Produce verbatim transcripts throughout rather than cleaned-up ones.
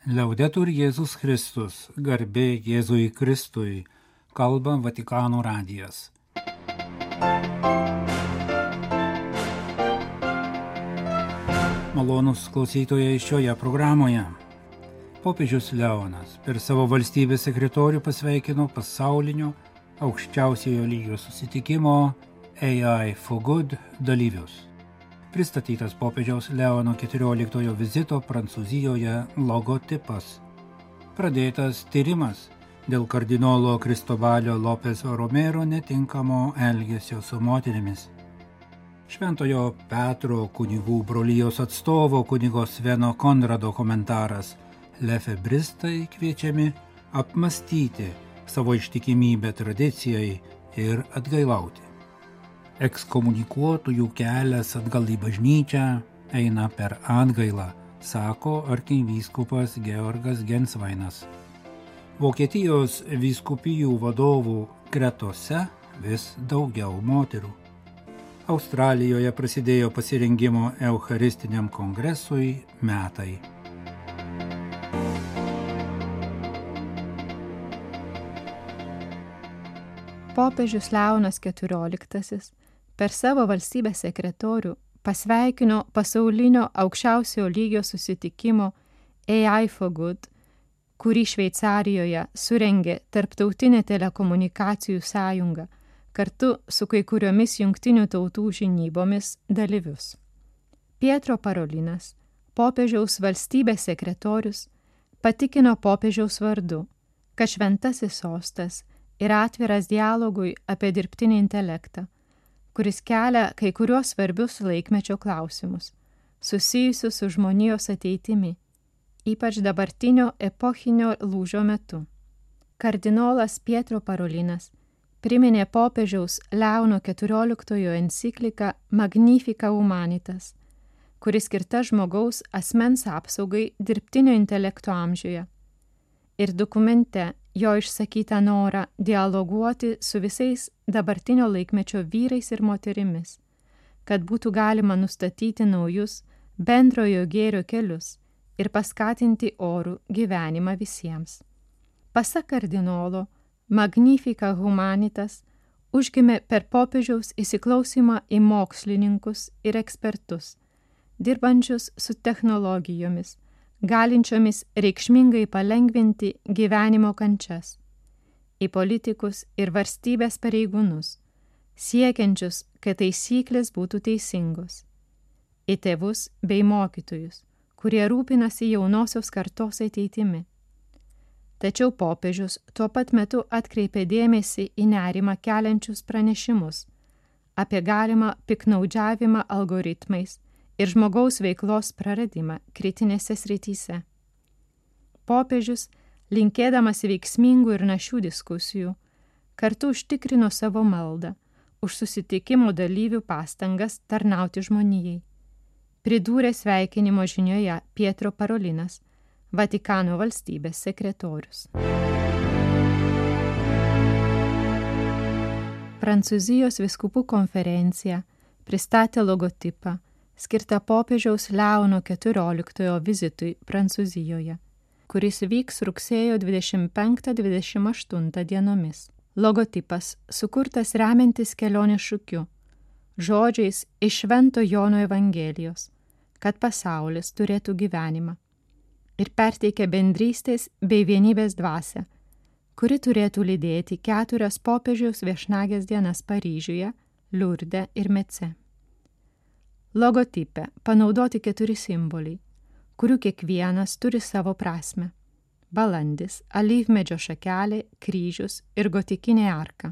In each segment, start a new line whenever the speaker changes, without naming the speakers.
Liaudetur Jėzus Kristus, garbė Jėzui Kristui, kalba Vatikano radijas. Malonūs klausytojai šioje programoje. Popiežius Leonas per savo valstybės sekretorių pasveikino pasaulinio aukščiausiojo lygio susitikimo A I for Good dalyvius. Pristatytas popiežiaus Leono keturioliktojo vizito Prancūzijoje logotipas. Pradėtas tyrimas dėl kardinolo Kristobalio Lopez Romero netinkamo elgesio su moterimis. Šventojo Petro kunigų brolijos atstovo kunigo Sveno Konrado komentaras: lefebristai kviečiami apmastyti savo ištikimybę tradicijai ir atgailauti. Ekskomunikuotųjų kelias atgal į bažnyčią eina per atgailą, sako arkivyskupas Georgas Gensvainas. Vokietijos vyskupijų vadovų gretose vis daugiau moterų. Australijoje prasidėjo pasirengimo Eucharistiniam kongresui metai.
Popiežius Leonas keturioliktasis per savo valstybės sekretorių pasveikino pasaulinio aukščiausio lygio susitikimo A I for Good, kurį Šveicarijoje surengė Tarptautinė telekomunikacijų sąjunga kartu su kai kuriomis jungtinių tautų žinybomis dalyvius. Pietro Parolinas, popiežiaus valstybės sekretorius, patikino popiežiaus vardu, kad šventasis sostas yra atviras dialogui apie dirbtinį intelektą, kuris kelia kai kuriuos svarbius laikmečio klausimus, susijusius su žmonijos ateitimi, ypač dabartinio epochinio lūžio metu. Kardinolas Pietro Parolinas priminė popiežiaus Leono keturioliktojo encikliką Magnificat Humanitas, kuris skirta žmogaus asmens apsaugai dirbtinio intelekto amžiuje, ir dokumente jo išsakytą norą dialoguoti su visais dabartinio laikmečio vyrais ir moterimis, kad būtų galima nustatyti naujus bendrojo gėrio kelius ir paskatinti orų gyvenimą visiems. Pasak kardinolo, Magnificat Humanitas užgimė per popiežiaus įsiklausymą į mokslininkus ir ekspertus, dirbančius su technologijomis, galinčiomis reikšmingai palengvinti gyvenimo kančias, į politikus ir valstybės pareigūnus, siekiančius, kad taisyklės būtų teisingos, į tėvus bei mokytojus, kurie rūpinasi jaunosios kartos ateitimi. Tačiau popiežius tuo pat metu atkreipė dėmesį į nerimą keliančius pranešimus apie galimą piktnaudžiavimą algoritmais ir žmogaus veiklos praradimą kritinėse srityse. Popiežius, linkėdamas veiksmingų ir našių diskusijų, kartu užtikrino savo maldą už susitikimo dalyvių pastangas tarnauti žmonijai. Pridūrė sveikinimo žinioje Pietro Parolinas, Vatikano valstybės sekretorius. Prancūzijos vyskupų konferencija pristatė logotipą skirtą popiežiaus Leono keturioliktojo vizitui Prancūzijoje, kuris vyks rugsėjo dvidešimt penktą dvidešimt aštuntą dienomis. Logotipas sukurtas remiantis kelionės šūkiu, žodžiais iš Švento Jono Evangelijos, kad pasaulis turėtų gyvenimą, ir perteikia bendrystės bei vienybės dvasią, kuri turėtų lydėti keturias popiežiaus viešnagės dienas Paryžiuje, Liurde ir Mece. Logotipe panaudoti keturi simboliai, kurių kiekvienas turi savo prasmę. Balandis, alyvmedžio šakelė, kryžius ir gotikinė arka.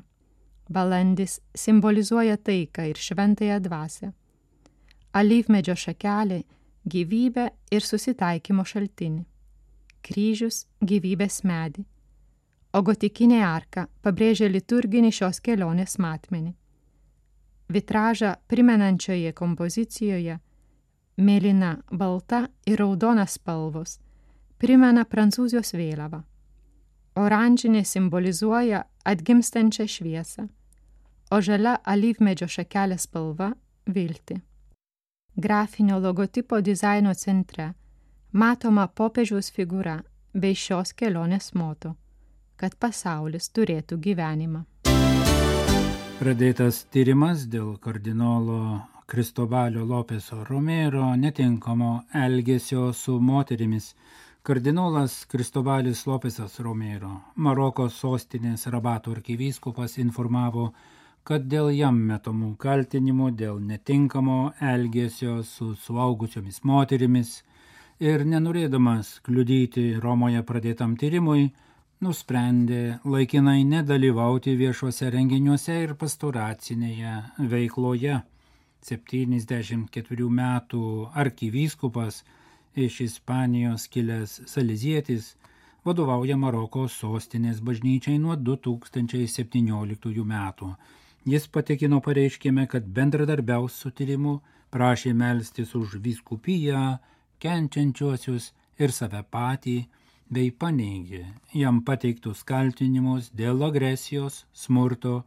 Balandis simbolizuoja taiką ir šventąją dvasią. Alyvmedžio šakelė – gyvybę ir susitaikymo šaltinį. Kryžius – gyvybės medį. O gotikinė arka pabrėžia liturginį šios kelionės matmenį. Vitražą primenančioje kompozicijoje mėlyna, balta ir raudona spalvos primena Prancūzijos vėliavą. Oranžinė simbolizuoja atgimstančią šviesą, o žalia alyvmedžio šakelės spalva – viltį. Grafinio logotipo dizaino centre matoma popiežiaus figūra bei šios kelionės moto, kad pasaulis turėtų gyvenimą.
Pradėtas tyrimas dėl kardinolo Kristobalio Lopeso Romero netinkamo elgesio su moterimis. Kardinolas Kristobalis Lopesas Romero, Maroko sostinės Rabato arkivyskupas, informavo, kad dėl jam metamų kaltinimų dėl netinkamo elgesio su suaugusiomis moterimis ir nenorėdamas kliudyti Romoje pradėtam tyrimui, nusprendė laikinai nedalyvauti viešuose renginiuose ir pastoracinėje veikloje. septyniasdešimt ketverių metų arkivyskupas iš Ispanijos kilęs salezietis vadovauja Maroko sostinės bažnyčiai nuo du tūkstančiai septynioliktųjų metų. Jis patikino pareiškime, kad bendradarbiaus su tyrimu, prašė melstis už vyskupiją, kenčiančiuosius ir save patį, bei paneigė jam pateiktus kaltinimus dėl agresijos, smurto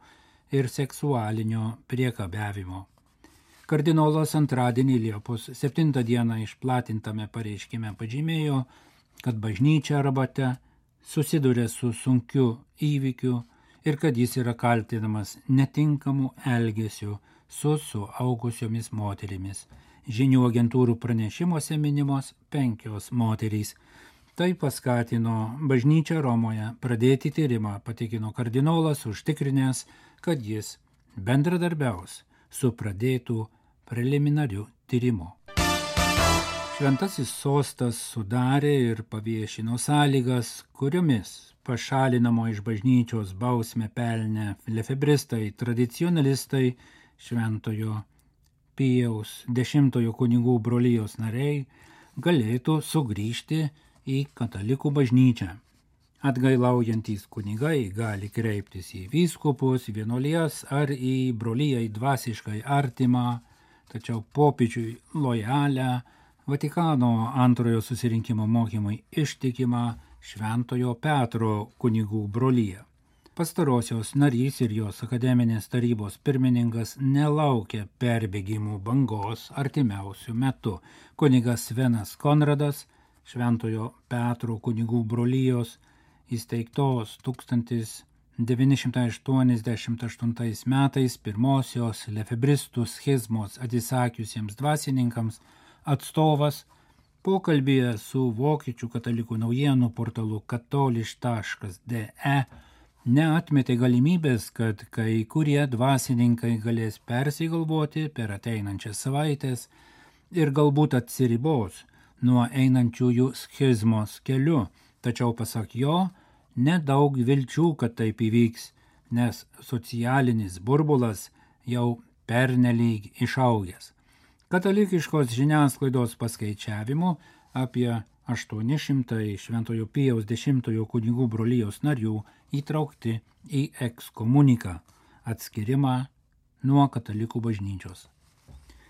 ir seksualinio priekabiavimo. Kardinolas antradienį Liepos septintą dieną išplatintame pareiškime pažymėjo, kad bažnyčia Rabate susiduria su sunkiu įvykiu ir kad jis yra kaltinamas netinkamu elgesiu su suaugusiomis moterimis. Žinių agentūrų pranešimuose minimos penkios moterys. Tai paskatino bažnyčią Romoje pradėti tyrimą, patikino kardinolas, užtikrinęs, kad jis bendradarbiaus su pradėtų preliminariu tyrimu. Šventasis sostas sudarė ir paviešino sąlygas, kuriomis pašalinamo iš bažnyčios bausmę pelnę lefebristai, tradicionalistai, Šventojo Pijaus dešimtojo kunigų brolijos nariai galėtų sugrįžti į katalikų bažnyčią. Atgailaujantys kunigai gali kreiptis į vyskupus, vienuolijas ar į brolijai dvasiškai artimą, tačiau popiežiui lojalę, Vatikano antrojo susirinkimo mokymui ištikimą Šventojo Petro kunigų broliją. Pastarosios narys ir jos akademinės tarybos pirmininkas nelaukia perbėgimų bangos artimiausių metų. Kunigas Svenas Konradas, Šventojo Petro kunigų brolijos įsteigtos tūkstantis devyni šimtai aštuoniasdešimt aštuntais metais pirmosios lefebristų schizmos atsisakiusiems dvasininkams atstovas pokalbyje su vokiečių katalikų naujienų portalu katoliš taškas de neatmetė galimybės, kad kai kurie dvasininkai galės persigalvoti per ateinančias savaitės ir galbūt atsiribos nuo einančiųjų schizmos keliu, tačiau pasak jo, nedaug vilčių, kad taip įvyks, nes socialinis burbulas jau pernelyg išaugęs. Katalikiškos žiniasklaidos paskaičiavimu apie aštuoni šimtai Šventojo Pijaus dešimtojo kunigų brolijos narių įtraukti į ekskomuniką, atskirimą nuo katalikų bažnyčios.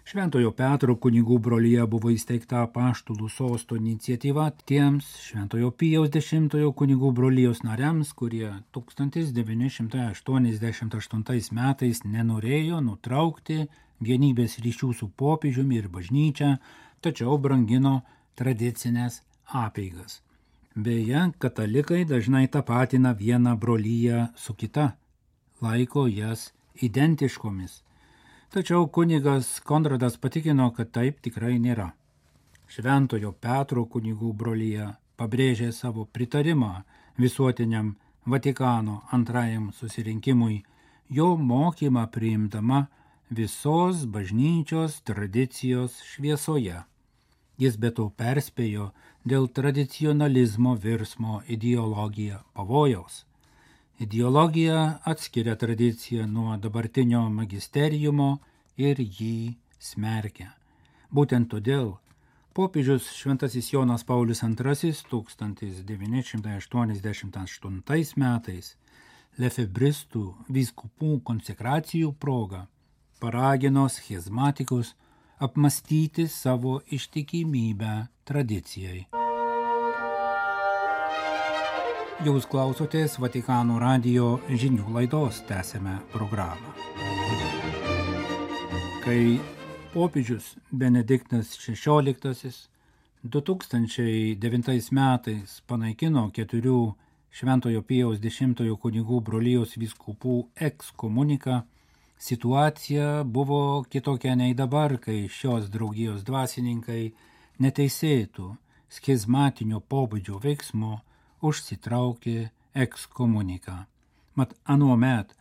Šventojo Petro kunigų brolija buvo įsteigta apaštalų sosto iniciatyva tiems Šventojo Pijaus dešimtojo kunigų brolijos nariams, kurie tūkstantis devyni šimtai aštuoniasdešimt aštuntais metais nenorėjo nutraukti vienybės ryšių su popiežiumi ir bažnyčia, tačiau brangino tradicinės apeigas. Beje, katalikai dažnai tapatina vieną broliją su kita, laiko jas identiškomis. Tačiau kunigas Konradas patikino, kad taip tikrai nėra. Šventojo Petro kunigų brolija pabrėžė savo pritarimą visuotiniam Vatikano antrajam susirinkimui, jo mokymą priimdama visos bažnyčios tradicijos šviesoje. Jis be to perspėjo dėl tradicionalizmo virsmo ideologija pavojaus. Ideologija atskiria tradiciją nuo dabartinio magisteriumo ir jį smerkia. Būtent todėl popiežius Šventasis Jonas Paulius antrasis tūkstantis devyni šimtai aštuoniasdešimt aštuntais metais lefebristų vyskupų konsekracijų proga paragino schizmatikus apmastyti savo ištikimybę tradicijai. Jūs klausotės Vatikano radijo žinių laidos, tęsiame programą. Kai popiežius Benediktas šešioliktasis du tūkstančiai devintais metais panaikino keturių Šventojo Pijaus dešimtojo kunigų brolijos vyskupų ekskomuniką, situacija buvo kitokia nei dabar, kai šios draugijos dvasininkai neteisėtų schizmatinio pobūdžio veiksmų užsitraukė ekskomuniką. Mat anuomet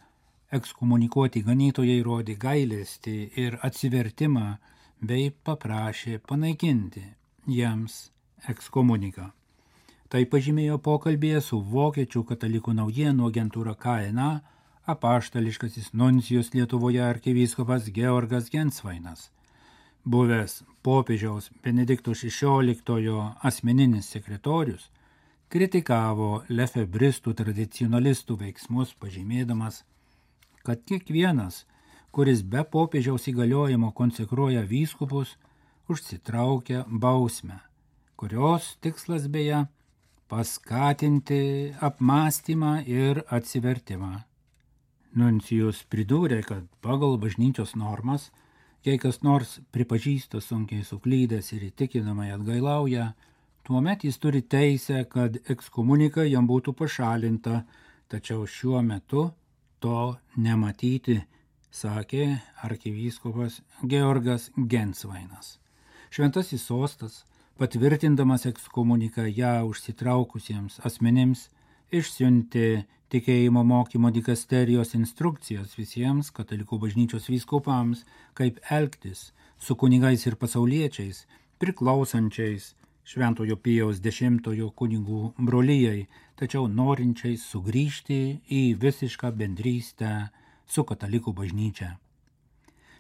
ekskomunikuoti ganytojai rodė gailestį ir atsivertimą bei paprašė panaikinti jiems ekskomuniką. Tai pažymėjo pokalbėje su Vokiečių katalikų naujienų agentūra K N A apaštališkasis nuncijus Lietuvoje arkivyskupas Georgas Gensvainas. Buvęs popiežiaus Benedikto šešioliktojo asmeninis sekretorius kritikavo lefebristų tradicionalistų veiksmus, pažymėdamas, kad kiekvienas, kuris be popiežiaus įgaliojimo konsekruoja vyskupus, užsitraukia bausmę, kurios tikslas beje paskatinti apmąstymą ir atsivertimą. Nuncijus pridūrė, kad pagal bažnyčios normas, jei kas nors pripažįsta sunkiai suklydęs ir įtikinamai atgailauja, tuomet jis turi teisę, kad ekskomunika jam būtų pašalinta, tačiau šiuo metu to nematyti, sakė arkivyskupas Georgas Gensvainas. Šventasis sostas, patvirtindamas ekskomuniką ją užsitraukusiems asmenims, išsiuntė tikėjimo mokymo dikasterijos instrukcijas visiems katalikų bažnyčios vyskupams, kaip elgtis su kunigais ir pasauliečiais, priklausančiais Šventojo Pijaus dešimtojo kunigų brolijai, tačiau norinčiais sugrįžti į visišką bendrystę su katalikų bažnyčia.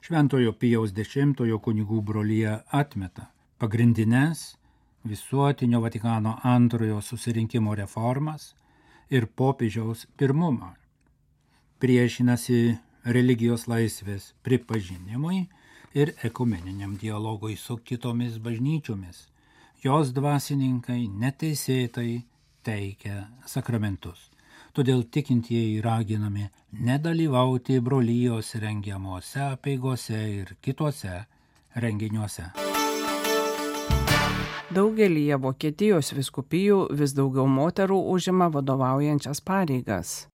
Šventojo Pijaus dešimtojo kunigų brolija atmeta pagrindines visuotinio Vatikano antrojo susirinkimo reformas ir popiežiaus pirmumą. Priešinasi religijos laisvės pripažinimui ir ekumeniniam dialogui su kitomis bažnyčiomis. Jos dvasininkai neteisėtai teikia sakramentus. Todėl tikintieji raginami nedalyvauti brolijos rengiamuose apeigose ir kituose renginiuose.
Daugelyje Vokietijos vyskupijų vis daugiau moterų užima vadovaujančias pareigas.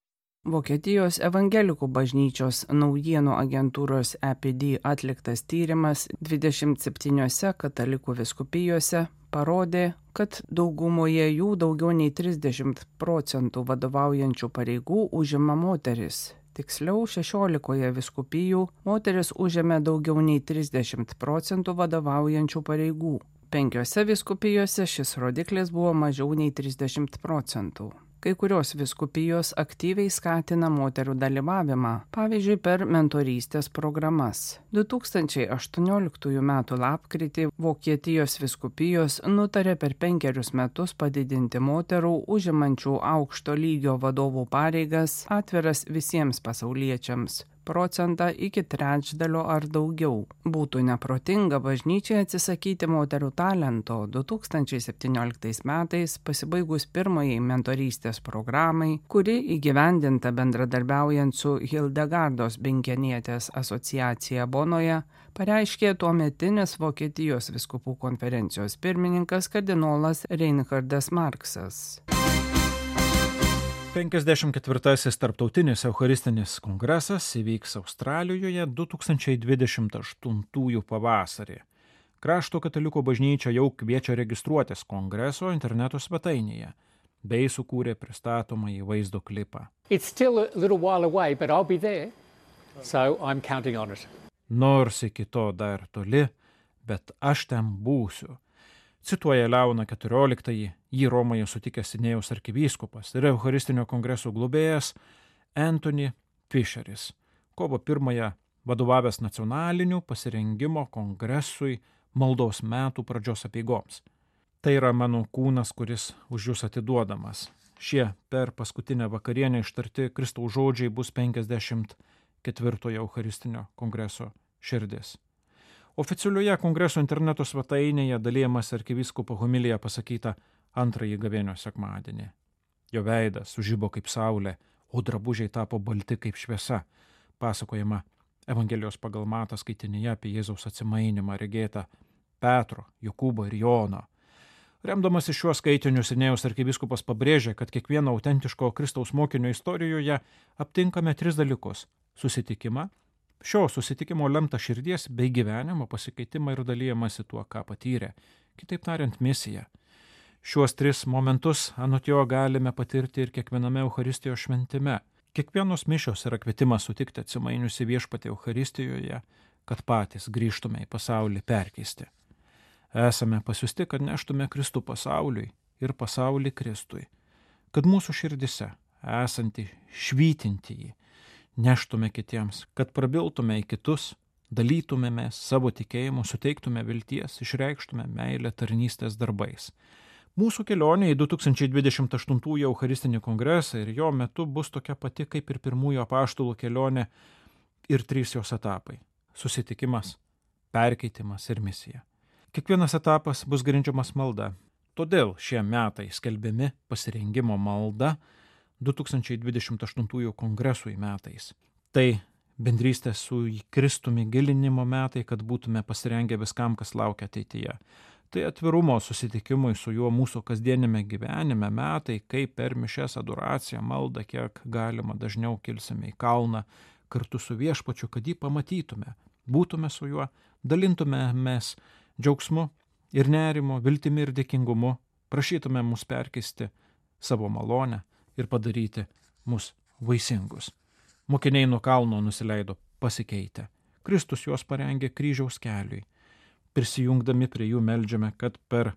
Vokietijos evangelikų bažnyčios naujienų agentūros E P D atliktas tyrimas dvidešimt septyniose katalikų vyskupijose parodė, kad daugumoje jų daugiau nei trisdešimt procentų vadovaujančių pareigų užima moteris. Tiksliau, šešiolikoje vyskupijų moteris užėmė daugiau nei trisdešimt procentų vadovaujančių pareigų. Penkiose vyskupijose šis rodiklis buvo mažiau nei trisdešimt procentų. Kai kurios vyskupijos aktyviai skatina moterų dalyvavimą, pavyzdžiui, per mentorystės programas. du tūkstančiai aštuonioliktųjų metų lapkritį Vokietijos vyskupijos nutarė per penkerius metus padidinti moterų užimančių aukšto lygio vadovų pareigas atviras visiems pasauliečiams procentą iki trečdalio ar daugiau. Būtų neprotinga bažnyčiai atsisakyti moterų talento. du tūkstančiai septynioliktais metais, pasibaigus pirmajai mentorystės programai, kuri įgyvendinta bendradarbiaujant su Hildegardos Binkenietės asociacija Bonoje, pareiškė tuometinis Vokietijos vyskupų konferencijos pirmininkas kardinolas Reinhardas Marksas.
penkiasdešimt ketvirtasis tarptautinis eucharistinis kongresas įvyks Australijoje du tūkstančiai dvidešimt aštuntųjų pavasarį. Krašto katalikų bažnyčia jau kviečia registruotis kongreso interneto svetainėje, bei sukūrė pristatomąjį vaizdo klipą.
It's still a little while away, but I'll be there, so I'm counting on it.
Nors iki to dar toli, bet aš ten būsiu. Cituoja Leoną keturioliktąjį, jį Romoje sutikęs Sidnėjaus arkivyskupas ir Eucharistinio kongreso globėjas Anthony Fisheris, kovo pirmąją vadovavęs nacionalinių pasirengimo kongresui maldos metų pradžios apeigoms. Tai yra mano kūnas, kuris už jūs atiduodamas. Šie per paskutinę vakarienę ištarti Kristaus žodžiai bus penkiasdešimt ketvirtojo Eucharistinio kongreso širdis. Oficialioje kongreso interneto svetainėje dalyjamas arkivyskupo homilija pasakyta antrąjį gavėnios sekmadienį. Jo veidas sužibo kaip saulė, o drabužiai tapo balti kaip šviesa, pasakojama Evangelijos pagal Matą skaitinyje apie Jėzaus atsimainimą regėtą Petro, Jokūbo ir Jono. Remdamasi šiuo skaitiniu Sidnėjaus arkivyskupas pabrėžė, kad kiekvieno autentiško Kristaus mokinio istorijoje aptinkame tris dalykus – susitikimą, šio susitikimo lemtą širdies bei gyvenimo pasikeitimą ir dalyjamasi tuo, ką patyrė, kitaip tariant misiją. Šiuos tris momentus anot jo galime patirti ir kiekviename Eucharistijos šventime. Kiekvienos mišios yra kvietimas sutikti atsimainiusi viešpatį Eucharistijoje, kad patys grįžtume į pasaulį perkeisti. Esame pasiusti, kad neštume Kristų pasauliui ir pasaulį Kristui, kad mūsų širdise esantį švytintįjį neštume kitiems, kad prabiltume į kitus, dalytumėme savo tikėjimu, suteiktume vilties, išreikštume meilę tarnystės darbais. Mūsų kelionė į du tūkstančiai dvidešimt aštuntųjų Eucharistinį kongresą ir jo metu bus tokia pati kaip ir pirmųjų apaštalų kelionė ir trys jos etapai – susitikimas, perkeitimas ir misija. Kiekvienas etapas bus grindžiamas malda. Todėl šie metai skelbiami pasirengimo malda du tūkstančiai dvidešimt aštuntųjų kongresui metais. Tai bendrystės su Kristumi gilinimo metai, kad būtume pasirengę viskam, kas laukia ateityje. Tai atvirumo susitikimui su juo mūsų kasdienime gyvenime metai, kai per mišias adoraciją, maldą, kiek galima dažniau kilsime į kalną kartu su viešpačiu, kad jį pamatytume, būtume su juo, dalintumėmės džiaugsmu ir nerimo, viltimi ir dėkingumu, prašytume mus perkeisti savo malonę ir padaryti mus vaisingus. Mokiniai nuo kalno nusileido pasikeitę. Kristus juos parengė kryžiaus keliui. Prisijungdami prie jų meldžiame, kad per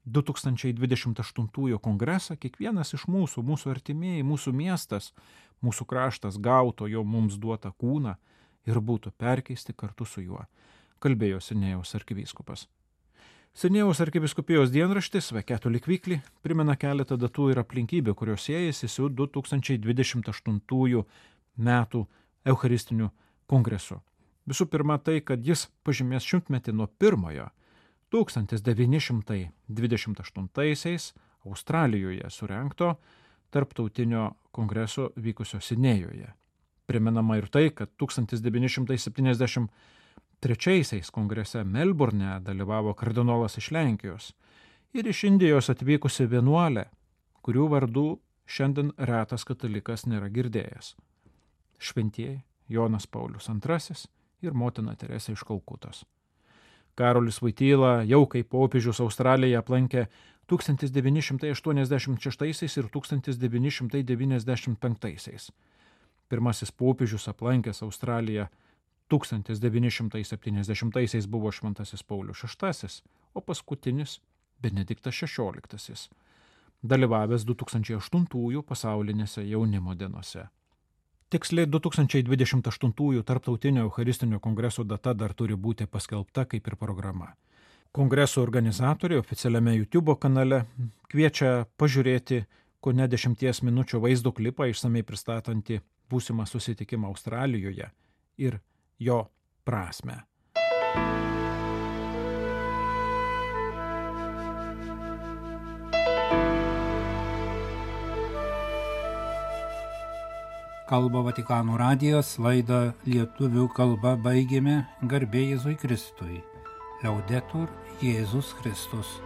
du tūkstančiai dvidešimt aštuntųjų kongresą kiekvienas iš mūsų, mūsų artimieji, mūsų miestas, mūsų kraštas gauto jo mums duotą kūną ir būtų perkeisti kartu su juo, kalbėjo Sidnėjaus arkivyskupas. Sidnėjaus arkivyskupijos dienraštis The Catholic Weekly primena keletą datų ir aplinkybių, kurios siejasi su du tūkstančiai dvidešimt aštuntųjų metų Eucharistiniu kongresu. Visų pirma tai, kad jis pažymės šimtmetį nuo pirmojo tūkstantis devyni šimtai dvidešimt aštuntaisiais Australijoje surengto tarptautinio kongreso vykusio Sidnėjoje. Primenama ir tai, kad tūkstantis devyni šimtai septyniasdešimt trečiaisiais kongrese Melburne dalyvavo kardinolas iš Lenkijos ir iš Indijos atvykusi vienuolė, kurių vardų šiandien retas katalikas nėra girdėjęs. Šventieji Jonas Paulius antrasis ir motina Teresė iš Kalkutos. Karolis Voityla jau kaip popiežius Australiją aplankė tūkstantis devyni šimtai aštuoniasdešimt šeštaisiais ir tūkstantis devyni šimtai devyniasdešimt penktaisiais. Pirmasis popiežius aplankęs Australiją tūkstantis devyni šimtai septyniasdešimtaisiais buvo Šventasis Paulius šeštasis, o paskutinis Benediktas šešioliktasis, dalyvavęs du tūkstančiai aštuntųjų pasaulinėse jaunimo dienose. Tiksliai du tūkstančiai dvidešimt aštuntųjų tarptautinio Eucharistinio kongreso data dar turi būti paskelbta kaip ir programa. Kongreso organizatoriai oficialiame YouTube kanale kviečia pažiūrėti kone dešimties minučių vaizdo klipą išsamei pristatantį būsimą susitikimą Australijoje ir jo prasme.
Kalba Vatikano radijas, laidą lietuvių kalba baigėme. Garbė Jėzui Kristui. Liaudetur Jėzus Kristus.